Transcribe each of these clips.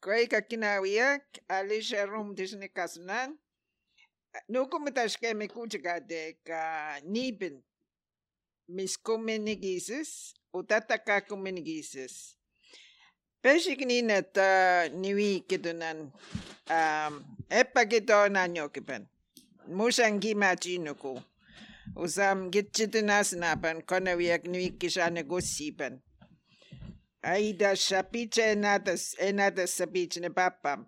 Koika kinawiak alisha rum disnikasunan. Nukumitashkemi kuchikade ka nibin miskuminigisis utatakakuminigisis. Peshiknina ta niwikidunan epakidonanyokipan. Musangimachinuku. Usam gitchitinasnapan konawiak niwikishanagusipan. Aida shapiche enadas enadas sapiche ne papam.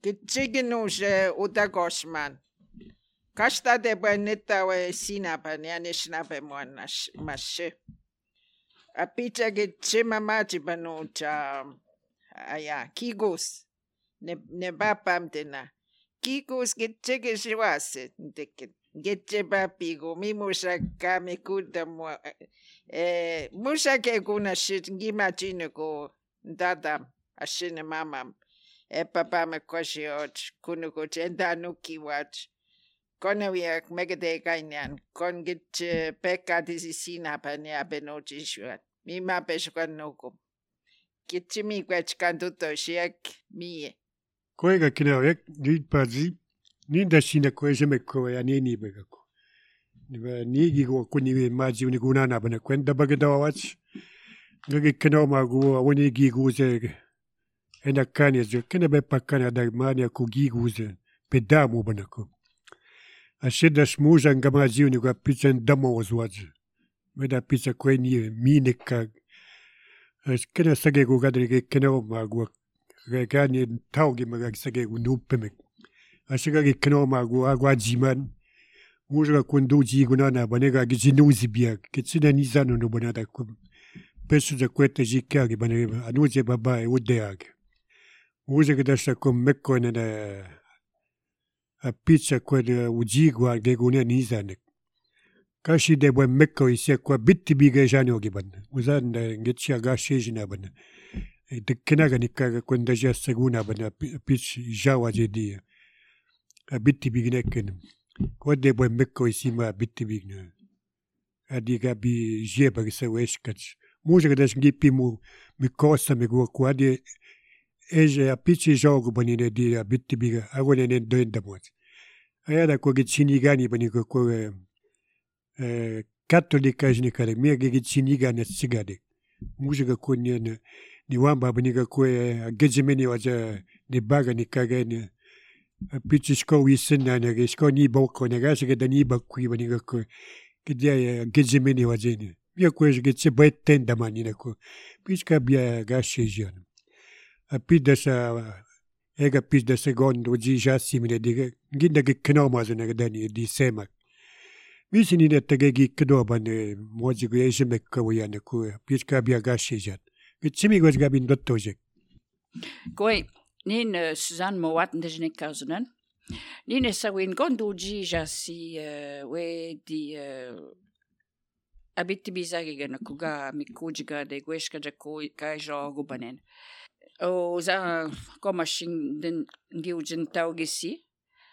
Gitchiginuse utagosman. Kastade buen sinapan ja nishnape muan mashe. Apicha gitchimamachi panucha aya kigus ne ne papam tena. Kigus gitchigishiwase ntiket. Gitche papigu mi musa kami kuda mua eh musa ke kuna shit ngimachino ko dada ashine mamam. E papa me koshiot kunuko chenda nuki wat. Konawiak megade kainyan kon gitche pekka tisisinapan ja benochishuat. Mi ma peshukan nuku. Gitche mi kwech kantuto shiak mie. Koega kinawiak nid pazi ninda shina koeje ko ya nini begako. Niba nigi go kuni maji uni gunana bana kwenda bagada wach. Ngagi kino magu woni gi guze ena kani zo kene be pakana da mania ku gi guze pedamu bana ko. Ashida shmuja ngamaji uni go pizza ndamo wazwaj. Meda pizza kweni mine ka kene sage go gadri ge kino magu gani taugi maga sage go nupeme. Ashiga ge kino magu agwa jiman. Muja kundu ji gunana banega gijinuzi bia kitsina nizano no banada ko pesu za kwete jikage bane anuze baba e udeage. Muja gedasha ko mekko ne a pizza kwede ujigwa ge gune nizane. Kashi de buen mekko ise kwa bitti bige jano giban. Uzan ngitcha gashi jina ban. De kenaga nikaga kwenda ja seguna ban pitch jawa jedi. A bitti bigneken. Kwade buen mekko isima bitti bigne. Adi gabi jeba gse weshkach. Muja gedash ngipi mu mi kosa mi gua kwade eje a pitch jogo banine di a bitti biga agone ne doenda mo. Ayada ko gitsini gani bani ko ko katolika jnikare mi gitsini gani tsigade. Muja ko ni ni wamba bani ko gejimeni waja ni baga ni kage ni pitch sko wisena ne sko ni boko ne ga se da ni bakui bani ko kidia gejimeni waje ni. Mi ko gitsi betenda mani ne ko. Pitch ka bia ga shejian. A pida sa ega pida secondo ji jassimine di ginda ge knoma zene dani di sema. Misini ne tege gi knoba ne moji go ejeme ko ya ne ko pitch ka bia ga shejian. Gitsimi go gabin dottoje. Koi, nin Suzanne Mowat ndejne kazunan. Nin sawin gondu ji jasi we di abitti bizagiga kuga mikujiga de gweshka ja ko kai jogo banen. O za koma shin den ngiujin taugisi.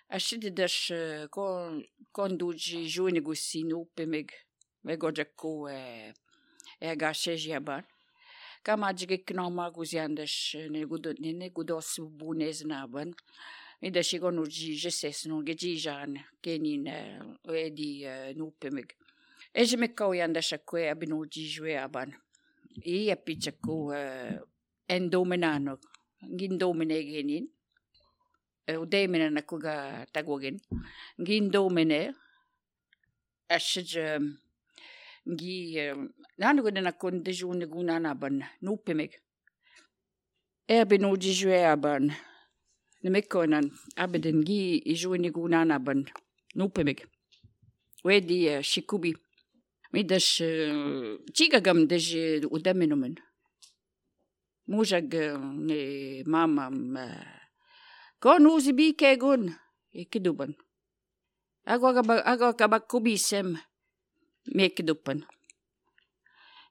Ashidi dash kon konduji juni gusi nupe meg megoja ko e e gasheji aban. Kama jige knoma guziandash ne gudo ne gudos bunez naban. Mida shigonu ji jeses no gejijan kenin edi nupe meg. Eje me kauyandash akwe abinu jijwe aban. I apicha ko endomenano ngindomene genin. Udemene na kuga tagogin. Ngindomene ashij ngi nanu na kondejune gunana ban nupemeg. Erbinu jijwe aban. Nemekonan abeden gi ijune gunana ban nupemeg. Wedi shikubi. Midash chigagam deje udamenumen. Mujag ne mamam kon uzi bi kegun ikiduban. Agwa agwa kubisem mekidupan.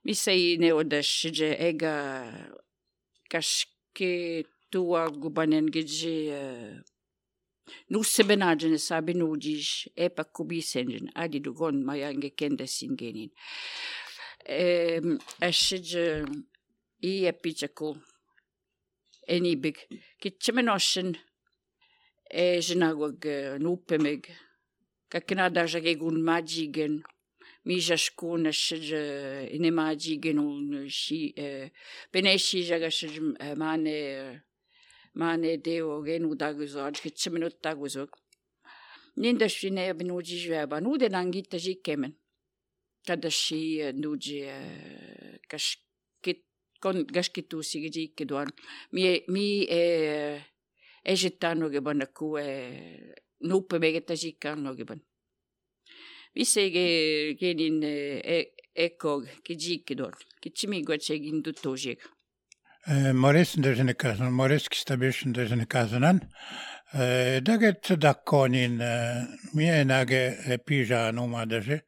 Misai ne odash je ega kashke tua gubanen gije Nusse sabi nujij epa kubisenjen adi dugon mayange kende singenin. Ashij i apichako. Enibig. Kitsimenosin Ezinagog nupemig. Kakinadajagegun majigen. Mijashkun ashij inemajigen un shi beneshi jagashij mane mane deo genu daguzog kitsimenut daguzog. Nindashine benuji jweba nude nangita jikemen. Kadashi nuji kashkit kon gashkitusi gijike Mi mi e Ežitanoge bana kue nupe tajikanoge ban. Visege genin eko kijike duan. Kichimi guachegin dutojeg. Maurice ndezine Maurice kistabish ndezine kazanan. Daget dakonin mienage pija numa deje.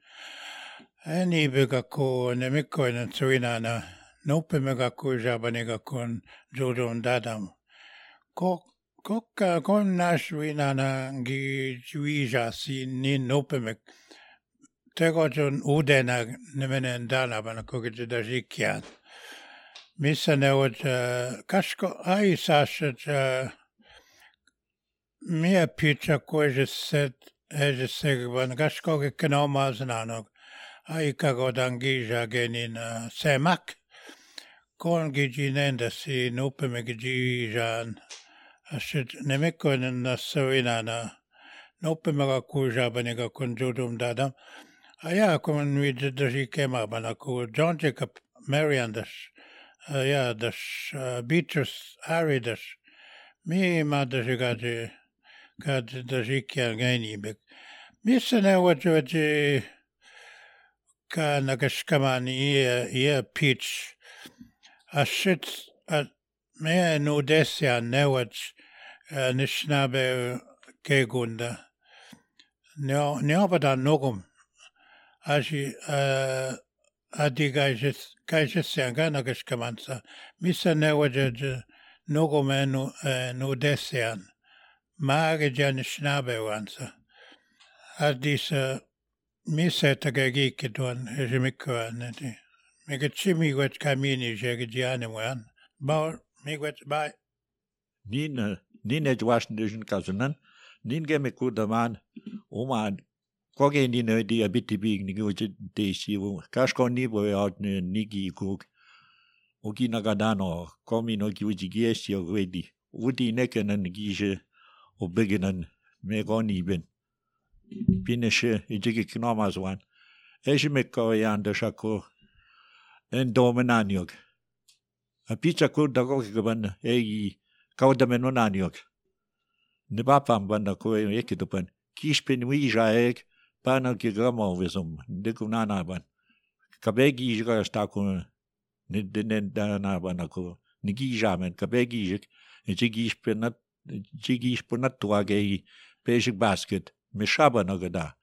Eni bega ko nemikko tsuinana nupe mega ko jabaniga kon jodon dadam. Ko kokka kon nashwinana gi juija si nin nupemek. Tegojon udena nimenen danabana kogit dajikian. Missä ne ovat kasko ai sasat mie pitsa kuiset ejesegban kasko kenomaasnano ai kagodan gija genin semak kon giji si nupemik jijan asit nemikkoinen nassuinana nupemega kuijabaniga kun judum dadam aja kun viddaji kemabana ku John Jacob Mariandas ja das Beatrice Aridas mi madasigaji kad dajikia genibek missä ne ovat ka nagaskaman ie ie pitch asit me nudesia neuat nishnabe kegunda neopada nogum asi adi gaisesian nagaskamansa missä neuat nogum nudesian maagejan nishnabewansa adisa missä tagagike tuon esimikkoan mikä chimiguet kamini jegidianemuan ba miguet ba Nin nin edwashin kazunan nin geme kudaman oman koge nin di abiti big ni goje desi kasko ni bo out nigi kuk ogi nagadano komi no giuji giesi o wedi udi neken gije o beginan megoni ben pineshe ijigi knomazwan ejime ko yanda shako en domenaniok a pizza ko dago ban ei kaudamenonaniok ne bapam ban ko ekidopan kishpin wija ek pana ki gamo visum dikunana ban kabegi jiga stako ne ne dana ban ko nigi jamen kabegi jik jigi spinat jigi spinat tuage basic basket mishaba nagada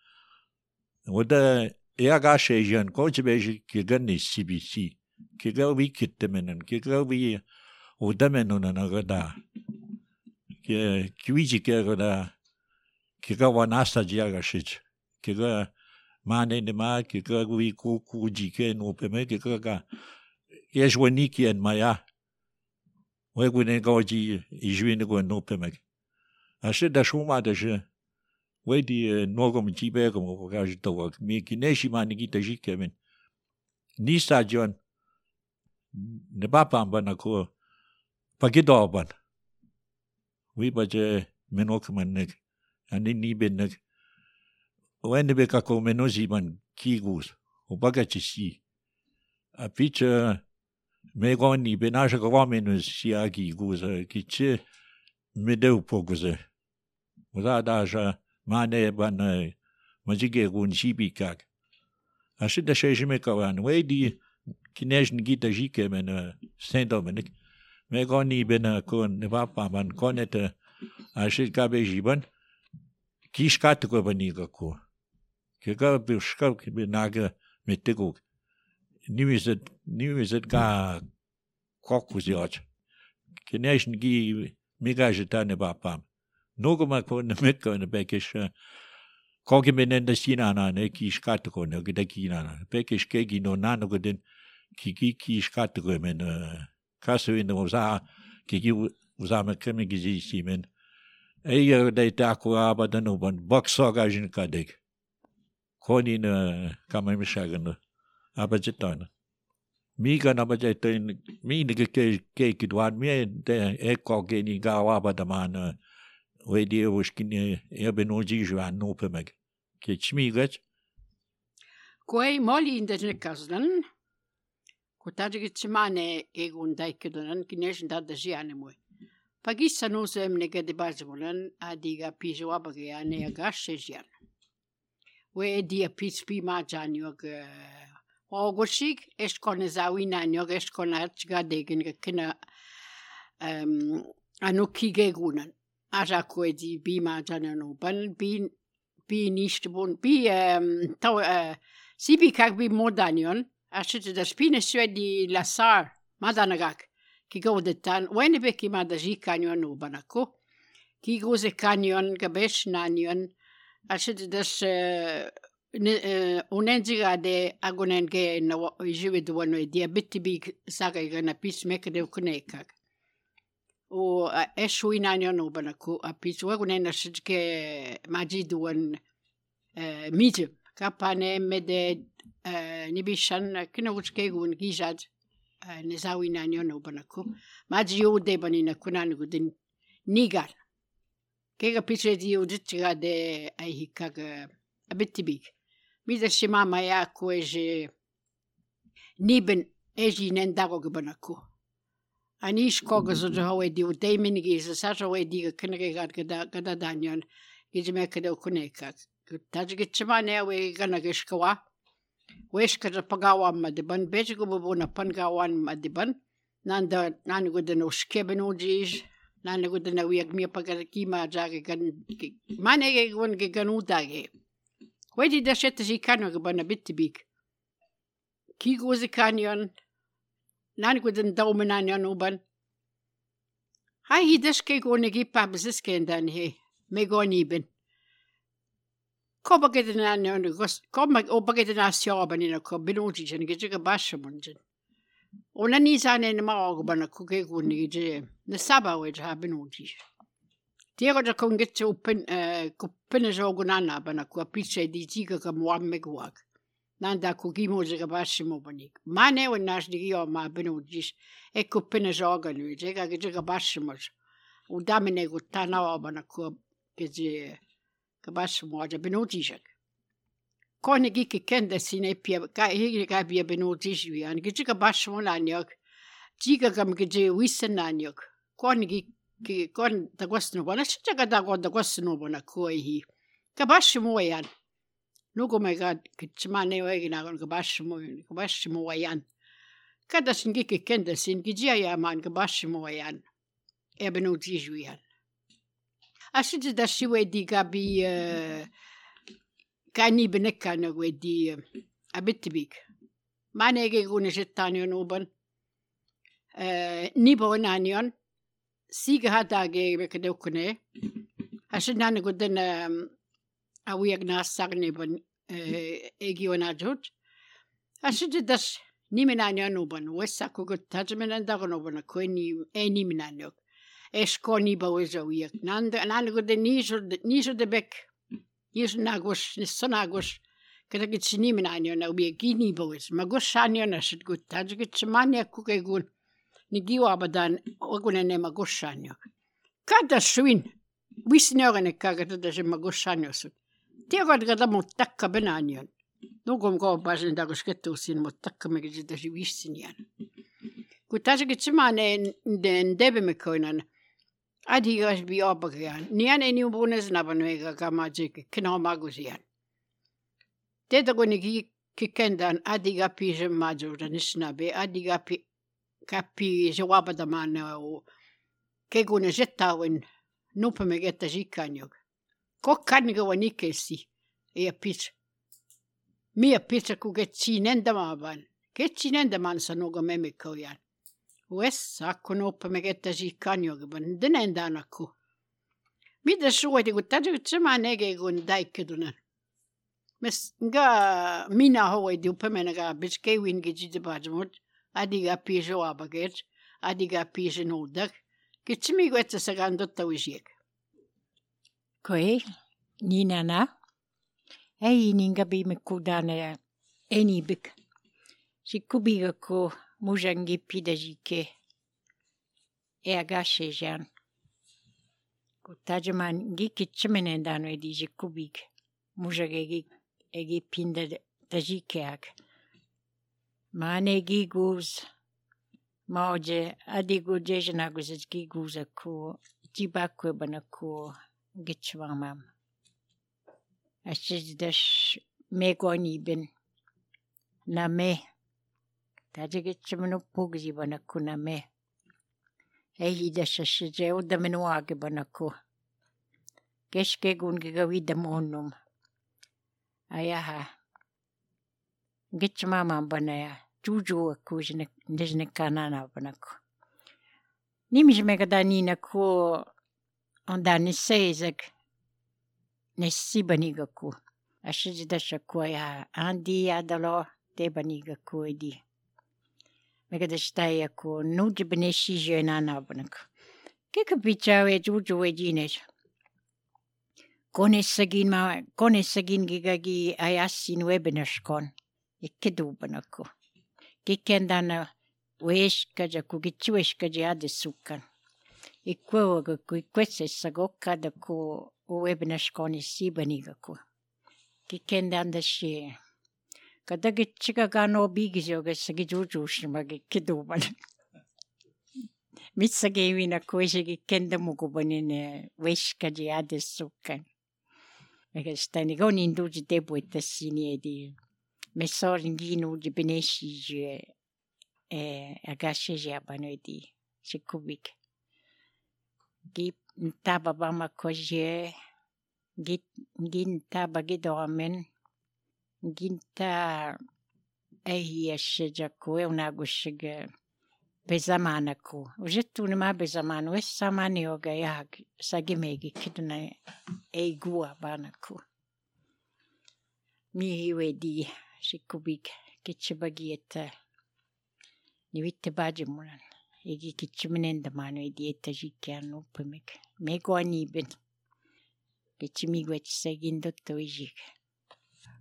wada iagashe jan kojibeji kigani CBC kigawi kittemenen kigawi udamenuna nagada ke kiwiji kegada kigawa nasa jiagashich kiga mane ne ma kigawi kuku jike no peme kigaga yeshwaniki en maya wegune goji ijwine go no peme ashe da shuma da je wedi nogom jibegom o gajito mi kineshi mani gita jikemen nisa jon ne bapam bana ko pagidoban wi baje menokman nek ani ni ben nek wende be kako menozi ban kigus o bagachi si a picha me goni benaja go menus si agi guz kiche medeu poguze Oda daja mane ban majige gun shibikak. Ashe da shejime kawan wedi kinej ngita jike men Saint Dominic. Me goni ben kon ne papa ban konet ashe kabe jiban kishkat ko baniga ko. Ke ga bushka ke naga metego. Niwizet niwizet ga kokuziot. Kinej ngi migajeta ne papa. Nogoma ko ne mekko ne bekish koge menenda sinana ne ki shkatko ne gida kinana bekish kegi no nano godin ki ki ki shkatko men kasu in no za ki ki Uzame kemi gizisimin. Eja de taku abadan uban boksogajin kadek. Konin kamamishagan abajitana. Miga na bajetin mi ni ke ke kidwan mi de eko geni gawa badaman we di ushkin e benoji juan no pemeg. Ke chmigat Koi moli in de kaznan. Ko tadjig tsimane egun daikedonan kineshin da jiane moe. Pagissa no zemne gede bazimulan adiga pijo abage ane agashe jian. We dia pits pi ma janiog ogoshig eskone zawinaniog eskona atchgadegen kena anuki gegunan. Aja koedi bi ma janano ban bi bi nishtbun bi tau sibi kag bi modanion ashit da spine suedi lasar madanagak ki godetan wene beki madaji kanyon ubanako ki goze kanyon gabesh nanion ashit das unenziga de agonen ge na jiwe duano e dia bitibig saga na pis mekade ukunekak. O eshu inanion ubanako a pis wagonen ashit ke majiduan midem kapane mede nibishan kinogutskegun gijad nezawinanion ubanako. Maji de banina kunanugu nigar. Kega pitse di ujitsiga de aihikaga abitibig. Mida shimama ya kueje niben eji nendago gbanako. Anish koga zo di udeiminigi za sajo di kinege gada gada danyon gijme kada kuneka. Tajgitchimane we gana gishkawa. Weshka pagawa madiban bejgo bubuna pangawan madiban. Nanda nanagudan ushkeben ujij. Nanagudan wiag mi pagarkima jage gan manege gun ganudage. Wedi da shete ji kano gbana bittibik. Kigoze kanyon. Nanagudan daumenanion uban. Hai hi deske gone gipa bezisken dan he. Megoniben. Koba gedena gos koba oba gedena sjoban ina ko binuji gije bashamunjin. Ona nizane na maogbana kuke guni gije na saba wej ha binuji. Tiego da kon gitse upen kupene jogunana bana ku apiche di jiga ka muamme guag. Nanda ku gimoje ga bashimo banik. Mane wen nash di yo ma binuji e kupene joganu je ga gije ga bashimo. U damene gutana bana ku gije kabashimo aja binujishak. Kone gike kende sine pia ka higi ka bia binujishwi an gije kabashimo nanyok. Jiga gam gije wisenanyok. Kone gi kon da gosno bona chicha da go da gosno bona ko hi. Kabashimo yan. Nugo me ga kitchmane wegi na kabashimo kabashimo yan. Kada sin gike kende sin gije ya man kabashimo yan. E binujishwi yan. Ashit da shiwe di gabi kani benekana wedi abitibik. Manege gune jettanion uban. Nibo nanion. Siga hadage bekadokune. Ashit nana guden awiag na sagne ban egion ajut. Ashit das nimenanion uban. Wesa kugut tajmen andagon uban kweni enimenaniok. Eskoni baweja wiak. Nanda nanda de nijo nijo de bek. Nijo nagos nisonagos. Kada gitsiniminanio na wiak gini bawes. Magoshanio na shit gut tajgitsimania kukegun. Nigiwa abadan ogunene magoshanio. Kada swin. Wisniorene kaga da je magoshanio sut. Tiegod gada mutakka benanion. Nugom go bazen dagosketu sin mutakka megijida wisinian. Kutajgitsimane ndebe mekoinan. Adigas bi obagyan. Nian eni ubunes nabanwega gamajik kino magusian. Teda gonigi kikendan adiga pije major nisnabe adiga pi kapi jawabadamana o kegune jettawin nupemegetta jikanyog. Kokkango wanikesi e pit. Mia pita kugetsinendamaban. Ketsinendaman sanoga memikoyan. Wes akku nopemegetta jikanyog ban denendanaku. Mida suoti kun tajutsemanege kun daikkedunan. Mes nga mina hoidi upemenaga bitskewin gijidebajmut adiga pijo abaget adiga pijo nodak. Gitsimiiguetsagandottavuisiak. Koi, ninana. Ei ningabi mekudana enibik. Sikubiga ko mujangi pidajike. E agashejan. Ko tajaman gikitchimenen dano edi jikubig. Mujagegi egi pinda tajikeak. Mane giguz. Maoje adigu jejanagus giguza ko jibakwe banako gitchwamam. Ashijdash megonibin. Name. Tajigitchimanu pugzi banako name. Ehidash ashije udamenuage banako. Keshkegun gigawida monum. Ayaha. Gitchmama banaya. Juju akujne ndejne kanana banako. Nimijmega nina ko ondani seizak. Nessibanigaku. Ashijidasha ya andi adalo debanigaku edi. Megadashtaya ko nujibneshije nana banako. Kika pichawe juju ejinesh. Konesagin ma konesagin gigagi ayasin webinashkon. Ikkedubanako. Kikendana weeshkaja kugichiweshkaja adesukan. Ikwewaga ku ikwesesagokada ku webinashkoni sibanigaku. Kikendanda shi. Kadagichiga bigijoga sagijujushimagi kiduban. Mitsagewina kueshigi kenda mugubanine weshkaji adesukan. Megadastani goninduji debuetasini edi. Mesoringinuji beneshije agasheje abano edi. Shikubik. Gi ntaba bama koje gintaba gidomen ginta ehieshejaku eunagushige bezamanaku. Ujetuna ma bezamanu es samanioga yag sagimegi kiduna eigua banaku. Mihiwedi shikubik kichibagieta niwitte bajimulan. Egi kichiminenda manu edieta jikian upemik. Meguanibin. Kichimiguet sagindotto ijik.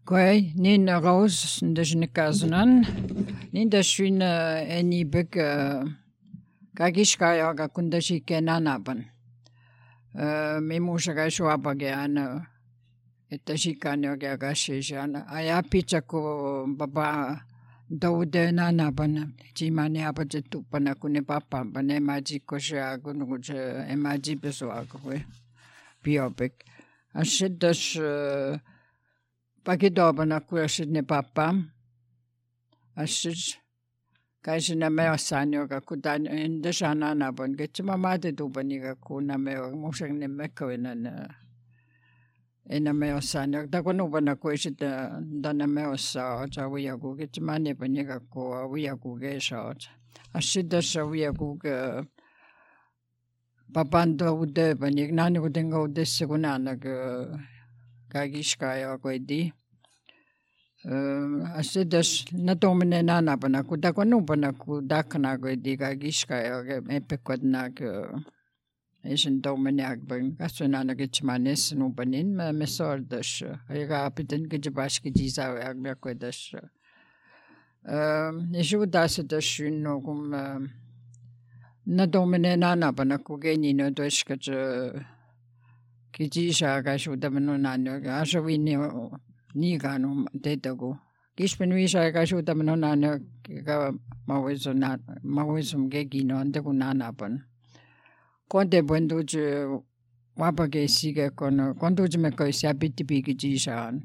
Koi, nin Rose ndejnekazunan. Nin dashwin enibik kagishkayaga kundashike nanaban. Mimushaga shuabagean etashikanoga gashijan. Ayapichaku baba daude nanaban. Jimani abajetupana kune papa bane majikoshagu nuguje emajibesoagu. Biobik. Ashidash Pakidobana kuashidne papa. Ashij kaishina meo sanyoga kudan indashana nabon gechima made dubaniga kuna meo mushagne mekawina na ena meo sanyoga dakonubana kuishida dana meo sa cha wiyagu gechima ne baniga ko wiyagu gesha. Ashidasha wiyagu papando ude banig nani udenga ude segunana kagishkaya koedi. Asidas natomine nanabana ku dakonubana ku dakna koedi kagishkaya epekwadna esin domine agban kasunana gichmanes nubanin mesordash ayga apiten gijbashki jizawe agmya koedash. Isudasadash nogum nadomine nanabana ku genino doshkaj kijisha kasudamino asawini niganu tedagu. Kishpen visha kasudamino nano ka mawisum mawisum gegino andagu nanaban. Konde bunduji wabage sige kono konduji me ko sabiti bigi jishan.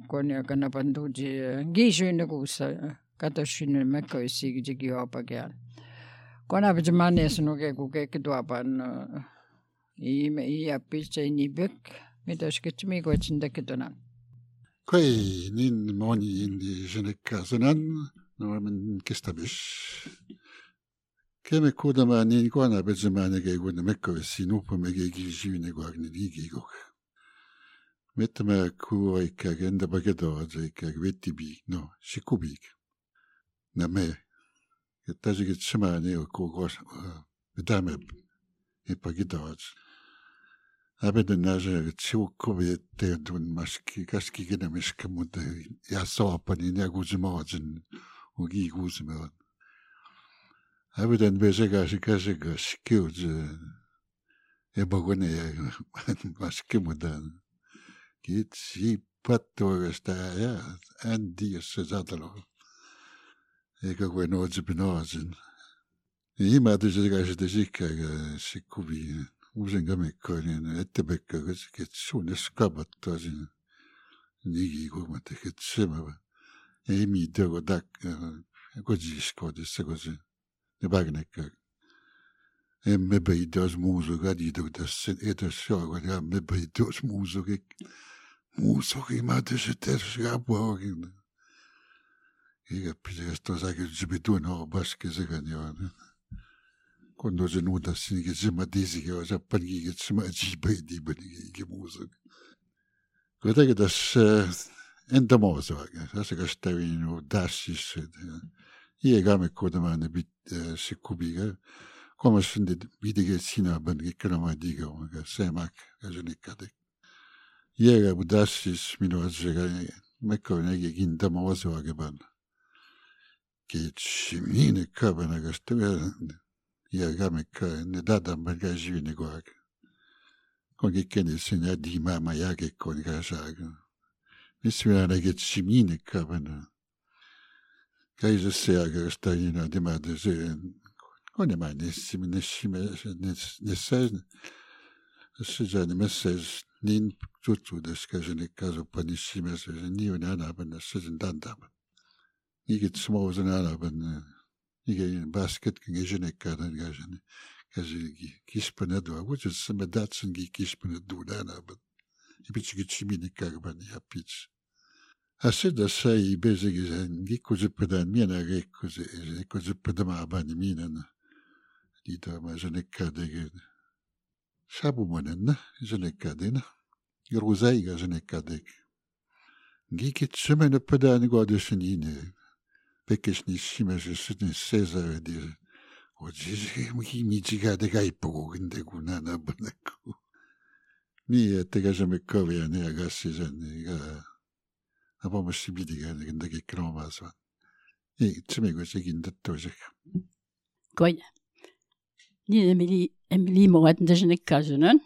Kono kana banduji gishune gusa katashine me ko sige jigi wabagean. Kona bijmane sunuge guge kidwaban I ia picha inibik midashkichmigochindakiduna. Koi nin moni indi jenekazunan noamen kestabish. Keme kudama nin guana bezemane geguna mekko sinupamege gijune guagne digigok. Metama kuoika genda bagedo ajaika vetibig no shikubig. Na me. Tajigit shimane ko gos medame E pagidawaj. Abeda naja chiukubi te dun maski kaski gena mishkamude ya soapani ya guzimawajin ugi guzimawan. Abeda nbezega shikashega shikiuj e bagone ya maskimudan. Kitsi pattuagasta ya andi sezatalo. Ega gwenodzibinawajin. Ima tüsega shikubi usengamikkoinen ettepekka ketsuuneskabattasin nigi kumate ketsema emi tego tak kodziskoodissa kosi nebagnekka emme beidos muusuga diidugdas edos ja me beidos muusugi muusugi ma tõsi terse apuogin iga pidas tosagil zibidun baskesega ja quando genuda sinige simadisiga japangiga simajibaidibaniga muusug. Kuidagi tas enda moosoga, asakastavinu dassis iega-mekkodamane bit sikubiga komasinde vidige sina bangi kramadiga ga semak gajunikade. Iega budassis minu asega mekko negi kindama osoga ban. Ketsimine kabana gastavi iega-mekka ne dadam gajivine goag. Kon kene sina di mama yage kon gajaga. Mismina getsimine kabana. Kaisa seaga gastavina demade se konema nessime nessime nessez sijani messez nin tutsudes kajene kaso panissime se ni unana sijin dandam. Nigit smoosen anaban nige basket gejene kadan gajene kaje kispanedu aguts seme datsen gi kispanedu nanaban. Ipitsi kagban ja pits. A seda sai bezig gikuzepedan mina gikuze abani minan. Dita ma ženekadege. Shabumanen ženekadena. Gruzaiga ženekadeg. Gikit semene pedan godeshenine. Pekesni simese sine Cesar de Ojizi mijiga de gaipo ginde gunana banaku. Mi tegažeme kovia ne agasizan ga apomasibidiga gindagi kromasvan. I tsimigo segindattoosek. Koi. Niin Emily Emily morat ndejnek kazunen.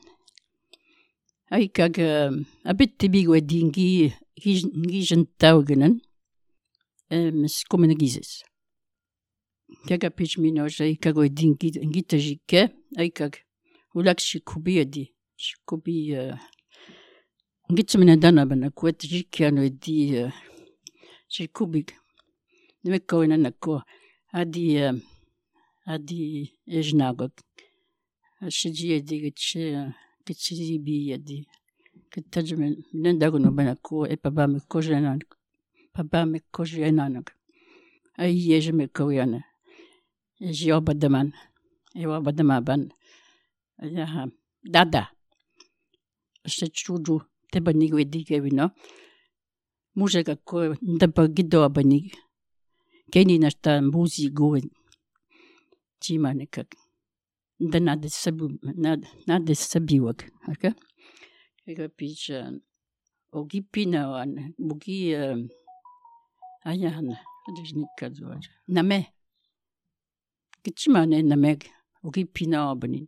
Aikag abet tebigo dingi ngi jentawgenen. Mes komene gizes. Kaga pich minoj aikag o dingi ngi tajike aikag ulak shikubi adi shikubi ngitsimene dana bana kuet jikiano di shikubi. Nemekko nako adi adi ejnagok. Shiji adi gitche gitchibi adi. Kitajme nendagono bana ko e papa me kojenan. Papa me kojenanak. Ai ejme koyana. Eji obadaman. E obadama ban. Ya dada. Shechuju tebanigo edi kevino. Mujega ko ndapa gido abanig. Keni nasta mbuzi go chimanekak. Nda sabu nade sabiwak. Aka? Ega pich ogi pina wan bugi ayana adejnik kazuaj. Name. Kichimane nameg ogi pina abanin.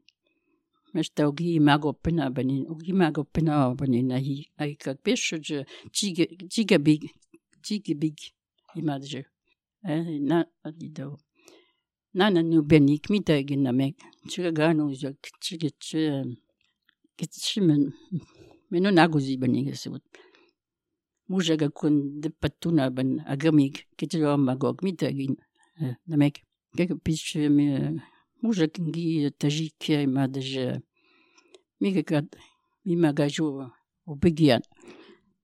Mesta ogi mago pina abanin. Ogi mago pina abanin ahi aikak peshuj chiga chiga big chiga big imadje. Na adido. Nana nu benik mita nameg. Chiga ganu jak chiga ch kichimen meno nagozi banig sebut. Mujaga kun de patuna ban agamig kitiro magog mita gin nameg. Kek pich me mujak ngi tajik imadje miga kat mi magajo o begian.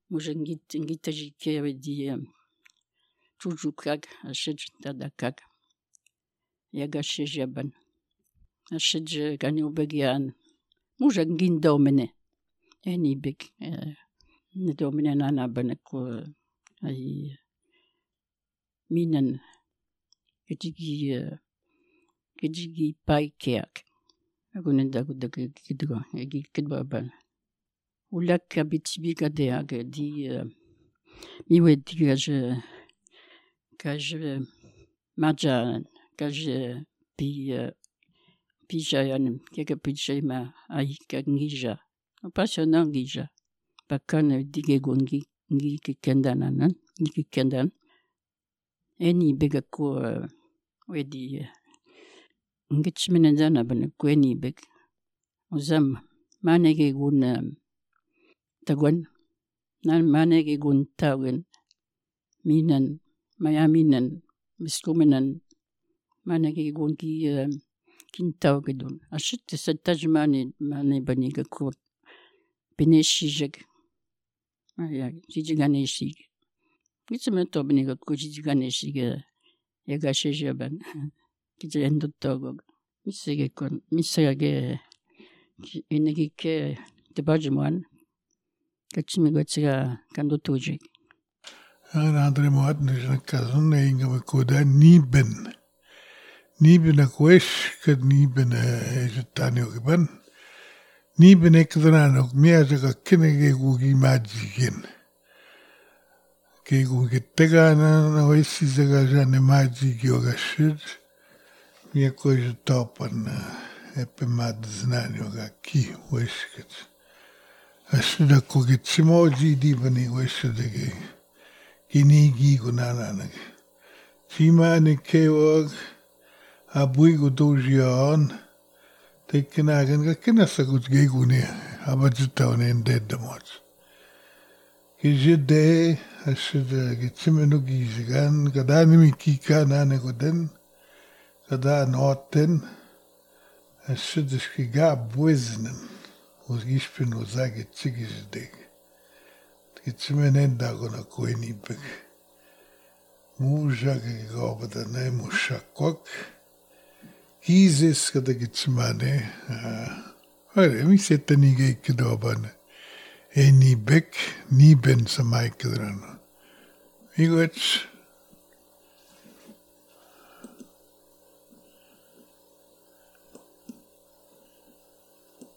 Mujak ngi ngi tajik di chujukak ashej dadakak. Yaga shejaban. Ashej gani begian. Mujak ngin domene. Eni big ne domene nana banako ai minan kejigi kejigi paikeak. Agunen da kidgo egi kidba ban. Ulak abitibi gade di miwe di kaj maja kaj pi pijayan kega pijema ai kangija. Passionant ngija. Bakan dige gongi ngi kendanan ngi kendan. Eni bega ko wedi ngitchminen ban kweni beg. Ozam manege gun tagwan nan manege gun tawen minan mayaminan miskumenen manege gun ki kintawgedun. Ashit setajmani mane baniga ko beneshijeg. Ya jijiganeshig. Gitsemen to baniga ko jijiganeshig yagashejaban. Kijendotogog. Misege kon misege inegike tebajman. Kachimigotsiga kandotujig. Andre moatnis kazun inga koda niben. Niben akwesh kad niben ejetanio ban. Niben ekdrano miaja kinege gugi majigin. Ke gugi tegana na wesi zaga jane majigi ogashid. Mia koja topan epe mad znanio ga ki weshket. Ashida kogi tsimoji dibani weshidege. Kinigi gunananag. Chimane kewog abuigo dojion. Tekenagan ga kinasagut gegune abajitaone endedamot. Kijide ashida gitsimenu gizigan gadanimi kika nane goden kada noten ashida bueznen os gispin ozage tsigizideg. Gitsimenen dagona koenibeg. Mužag gobada ne mushakok. Kizis kada gitsimane. Ore, mi setanige ikidobane. Enibek, niben samaikadrano. Migoch.